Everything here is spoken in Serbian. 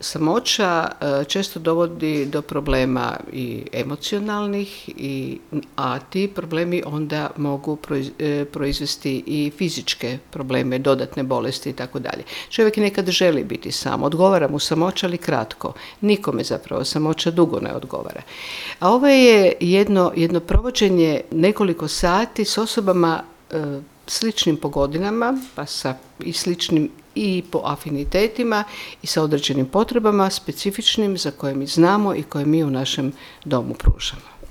samoća često dovodi do problema i emocionalnih, a ti problemi onda mogu proizvesti i fizičke probleme, dodatne bolesti i tako dalje. Čovjek nekad želi biti sam, odgovara mu samoća, ali kratko. Nikome zapravo samoća dugo ne odgovara. A ovo je jedno provođenje nekoliko sati s osobama sličnim po godinama, pa i sličnim i po afinitetima i sa određenim potrebama specifičnim za koje mi znamo i koje mi u našem domu pružamo.